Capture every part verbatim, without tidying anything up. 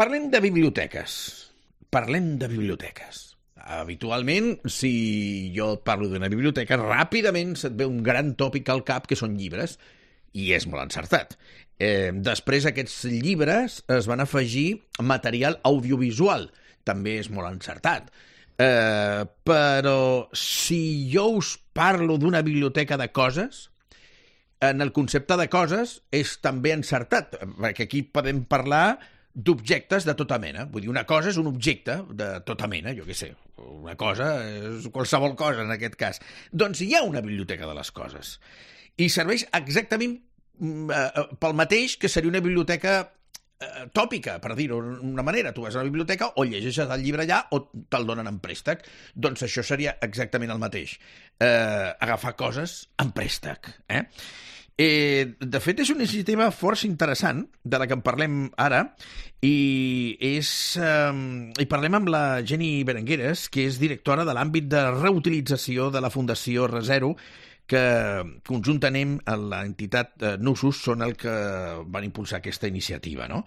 Parlem de biblioteques. Parlem de biblioteques. Habitualment, si jo et parlo d'una biblioteca, ràpidament se't ve un gran tòpic al cap, que són llibres, i és molt encertat. Eh, després aquests llibres es van afegir material audiovisual, també és molt encertat. Eh, però si jo us parlo d'una biblioteca de coses, en el concepte de coses és també encertat, perquè aquí podem parlar d'objectes de tota mena. Vull dir, una cosa és un objecte de tota mena, jo què sé, una cosa és qualsevol cosa en aquest cas. Doncs hi ha una biblioteca de les coses i serveix exactament pel mateix que seria una biblioteca eh, tòpica, per dir-ho d'una manera. Tu vas a la biblioteca o llegeixes el llibre allà o te'l donen en préstec. Doncs això seria exactament el mateix. Eh, agafar coses en préstec. Eh? Eh, de fet, és una iniciativa força interessant, de la que en parlem ara, i, és, eh, i parlem amb la Jenny Berengueres, que és directora de l'àmbit de reutilització de la Fundació ReZero, que conjuntament amb l'entitat eh, Nusos són el que van impulsar aquesta iniciativa, no?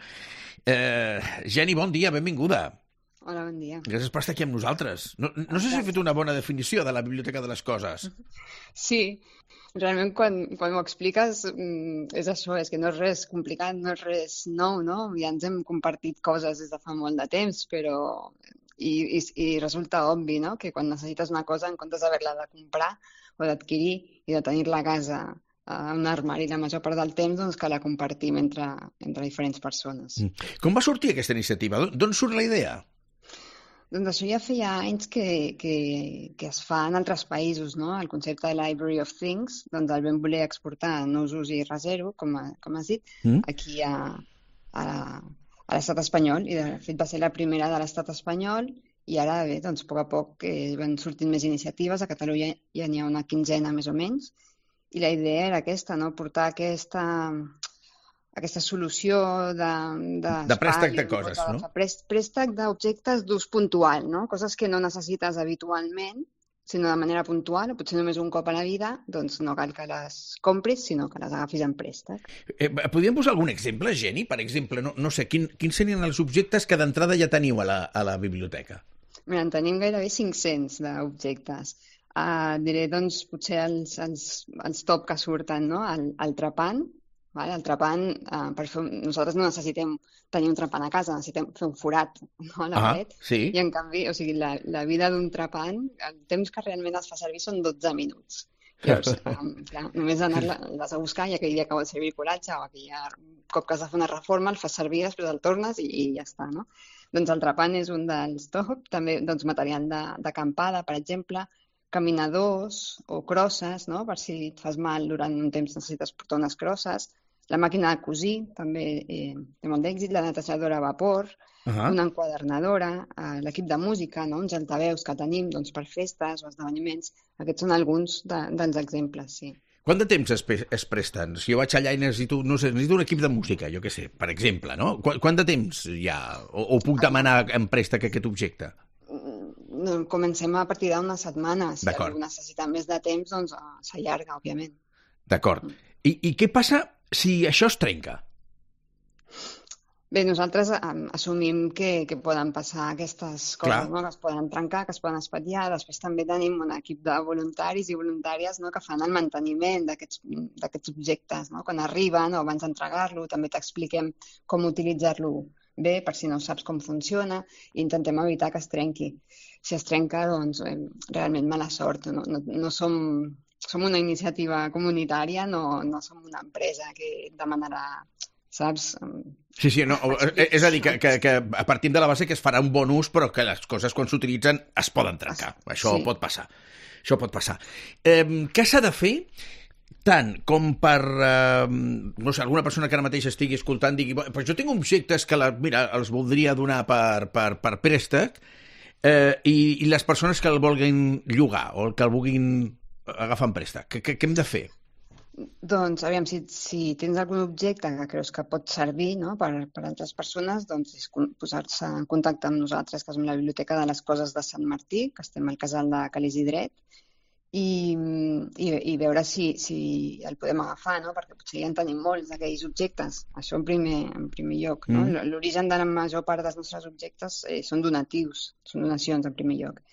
Eh, Jenny, bon dia, benvinguda. Hola, bon dia. Gràcies per estar aquí amb nosaltres. No, no sé si he fet una bona definició de la Biblioteca de les Coses. Sí, realment quan, quan ho expliques és això, és que no és res complicat, no és res nou, no? Ja ens hem compartit coses des de fa molt de temps, però... I, i, i resulta obvi, no?, que quan necessites una cosa, en comptes d'haver-la de comprar o d'adquirir i de tenir-la a casa a un armari la major part del temps, doncs que la compartim entre, entre diferents persones. Com va sortir aquesta iniciativa? D'on surt la idea? Doncs això ja feia anys que, que, que es fa en altres països, no? El concepte de Library of Things, doncs el vam voler exportar a Nusos i ReZero, com, a, com has dit, mm. aquí a, a, a l'estat espanyol, i de fet va ser la primera de l'estat espanyol, i ara bé, doncs a poc a poc eh, van sortint més iniciatives, a Catalunya ja n'hi ha una quinzena més o menys, i la idea era aquesta, no? Portar aquesta... aquesta solució de... De, de préstec de coses, no? De préstec d'objectes d'ús puntual, no? Coses que no necessites habitualment, sinó de manera puntual, o potser només un cop a la vida, doncs no cal que les compris, sinó que les agafis en préstec. Eh, podríem posar algun exemple, Jenny? Per exemple, no, no sé, quin, quins serien els objectes que d'entrada ja teniu a la, a la biblioteca? Mira, en tenim gairebé cinc-cents d'objectes. Uh, diré, doncs, potser els, els, els top que surten, no? El, el trepant. Vale? El trepant, eh, per fer, nosaltres no necessitem tenir un trepant a casa, necessitem fer un forat, no, a la ah, paret. Sí. I en canvi, o sigui, la, la vida d'un trepant, el temps que realment es fa servir són dotze minuts. Llavors, eh, clar, només anar-la, l'has a buscar i aquell dia que vol servir coratge o aquell cop que has de fer una reforma el fas servir, després el tornes i, i ja està, no? Doncs el trepant és un dels top, també doncs, material d'acampada, per exemple, caminadors o crosses, no? Per si et fas mal durant un temps necessites portar unes crosses. La màquina de cosir també eh, té molt d'èxit, la netejadora a vapor, uh-huh. una enquadernadora, eh, l'equip de música, no? Uns altaveus que tenim doncs, per festes o esdeveniments. Aquests són alguns de, dels exemples, sí. Quant de temps es, es presten? Si jo vaig allà i necessito, no sé, necessito un equip de música, jo què sé, per exemple, no? Qu quant de temps hi ha? O, o puc demanar en préstec aquest objecte? No, comencem a partir d'unes setmanes. Si algú necessita més de temps, doncs s'allarga, òbviament. D'acord. I, I què passa si això es trenca? Bé, nosaltres um, assumim que, que poden passar aquestes coses, no? Que es poden trencar, que es poden espatllar. Després també tenim un equip de voluntaris i voluntàries, no? Que fan el manteniment d'aquests objectes, no? Quan arriben o abans d'entregar-lo, també t'expliquem com utilitzar-lo bé, per si no saps com funciona, i intentem evitar que es trenqui. Si es trenca, doncs, eh, realment mala sort. No, no, no som... Som una iniciativa comunitària, no, no som una empresa que demanarà, saps? Sí, sí, no, és a dir, que, que, que partim de la base que es farà un bon ús, però que les coses quan s'utilitzen es poden trencar. Això sí. pot passar. Això pot passar. Eh, què s'ha de fer tant com per, eh, no sé, alguna persona que ara mateix estigui escoltant digui, però jo tinc objectes que la, mira, els voldria donar per, per, per préstec eh, i, i les persones que el vulguin llogar o el que el vulguin agafar en préstec. Què, què, què hem de fer? Doncs, aviam, si, si tens algun objecte que creus que pot servir, no? per, per altres persones, doncs és posar-se en contacte amb nosaltres, que som la Biblioteca de les Coses de Sant Martí, que estem al casal de Calés i Dret, i, i, i veure si, si el podem agafar, no? Perquè potser ja en tenim molts d'aquells objectes. Això en primer, en primer lloc. No? Mm. L'origen de la major part dels nostres objectes eh, són donatius, són donacions en primer lloc.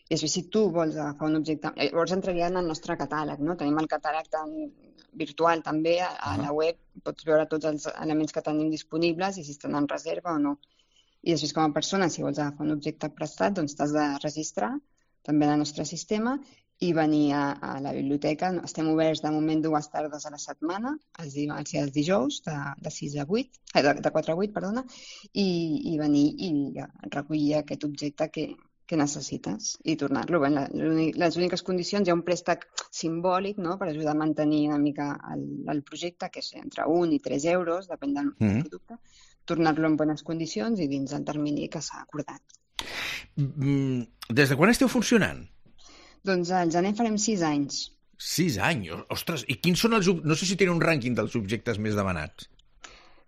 I després, si tu vols agafar un objecte... Llavors entraria en el nostre catàleg, no? Tenim el catàleg tan virtual també, a, a la web pots veure tots els elements que tenim disponibles i si estan en reserva o no. I després, com a persona, si vols agafar un objecte prestat, doncs t'has de registrar també en el nostre sistema i venir a, a la biblioteca. Estem oberts de moment dues tardes a la setmana, els dimarts i els dijous, de, de sis a vuit, eh, de, de quatre a vuit, perdona, i, i venir i recollir aquest objecte que, que necessites i tornar-lo. Bé, les úniques condicions, hi ha un préstec simbòlic, no?, per ajudar a mantenir una mica el, el projecte, que és entre un i tres euros, depèn del mm-hmm. producte, tornar-lo en bones condicions i dins el termini que s'ha acordat. Des de quan esteu funcionant? Doncs al gener farem sis anys. Sis anys? Ostres, i quins són els... No sé si tenen un rànquing dels objectes més demanats.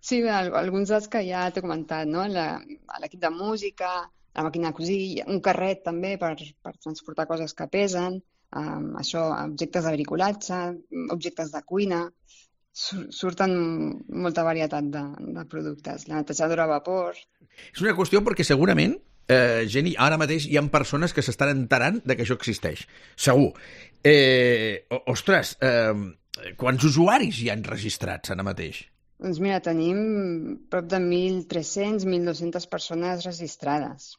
Sí, alguns dels que ja t'he comentat, no? L'equip de música, la màquina de cosir, un carret també per, per transportar coses que pesen, um, això, objectes de bricolatge, objectes de cuina... Surten molta varietat de, de productes. La netejadora a vapor... És una qüestió perquè segurament, eh, Jenny, ara mateix hi ha persones que s'estan enterant de que això existeix. Segur. Eh, ostres, eh, quants usuaris hi han registrats ara mateix? Doncs mira, tenim prop de mil tres-cents, mil dos-centes persones registrades.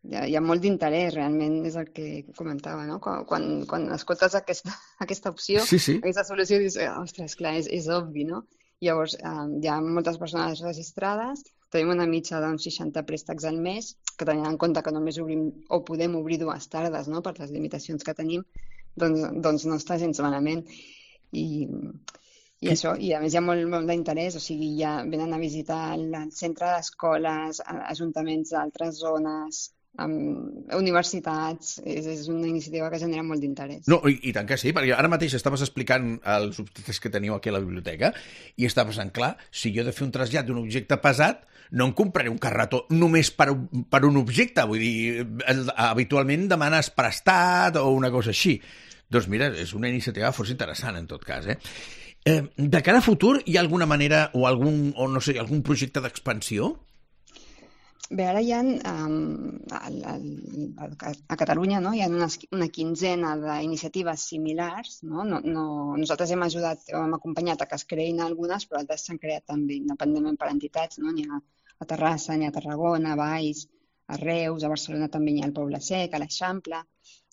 Hi ha, hi ha molt d'interès, realment, és el que comentava, no? Quan, quan, quan escoltes aquesta, aquesta opció, sí, sí. aquesta solució, dius, ostres, clar, és, és obvi, no? Llavors, eh, hi ha moltes persones registrades, tenim una mitja d'uns seixanta préstecs al mes, que tenint en compte que només obrim o podem obrir dues tardes, no?, per les limitacions que tenim, doncs, doncs no està gens malament. I, i això, i a més hi ha molt, molt d'interès, o sigui, ja venen a visitar el centre d'escoles, ajuntaments d'altres zones, amb universitats, és, és una iniciativa que genera molt d'interès. No, i, i tant que sí, perquè ara mateix estaves explicant els objectes que teniu aquí a la biblioteca i estava pensant, clar, si jo he de fer un trasllat d'un objecte pesat, no em compraré un carretó només per, per un objecte, vull dir, habitualment demanes prestat o una cosa així. Doncs mira, és una iniciativa força interessant en tot cas, eh? eh de cara a futur, hi ha alguna manera o algun, o no sé, algun projecte d'expansió? Bé, ara hi ha, um, al, al, a Catalunya, no? Hi ha unes, una quinzena d'iniciatives similars. No? No, no, nosaltres hem ajudat, hem acompanyat a que es creïn algunes, però altres s'han creat també independentment per entitats. No? N'hi ha a Terrassa, n'hi ha a Tarragona, a Valls, a Reus, a Barcelona també n'hi ha al Poble Sec, a l'Eixample,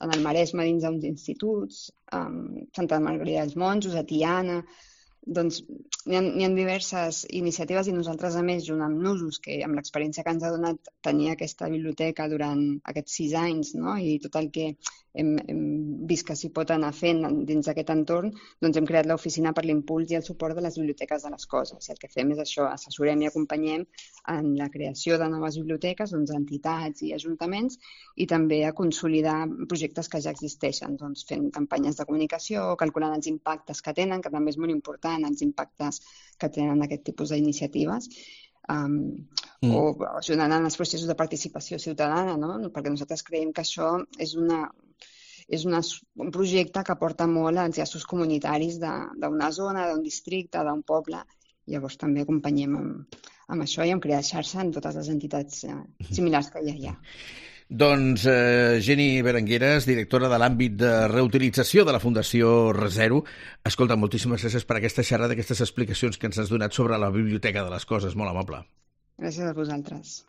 en el Maresme dins d'uns instituts, a Santa Margarida dels Monjos, a Tiana... Doncs hi ha, hi ha diverses iniciatives i nosaltres, a més, junt amb Nusos, que amb l'experiència que ens ha donat tenir aquesta biblioteca durant aquests sis anys, no? I tot el que hem, hem vist que s'hi pot anar fent dins d'aquest entorn, doncs hem creat l'oficina per l'impuls i el suport de les biblioteques de les coses. I el que fem és això, assessorem i acompanyem en la creació de noves biblioteques, doncs, entitats i ajuntaments, i també a consolidar projectes que ja existeixen, doncs, fent campanyes de comunicació, calculant els impactes que tenen, que també és molt important, els impactes que tenen aquest tipus d'iniciatives, um, mm. o ajudant en els processos de participació ciutadana, no? Perquè nosaltres creiem que això és, una, és una, un projecte que aporta molt als llaços comunitaris d'una zona, d'un districte, d'un poble. Llavors també acompanyem amb, amb això i amb crear xarxa en totes les entitats eh, similars que ja hi ha. Doncs eh, Jenny Berengueres, directora de l'àmbit de reutilització de la Fundació ReZero. Escolta, moltíssimes gràcies per aquesta xerrada, aquestes explicacions que ens has donat sobre la Biblioteca de les Coses. Molt amable. Gràcies a vosaltres.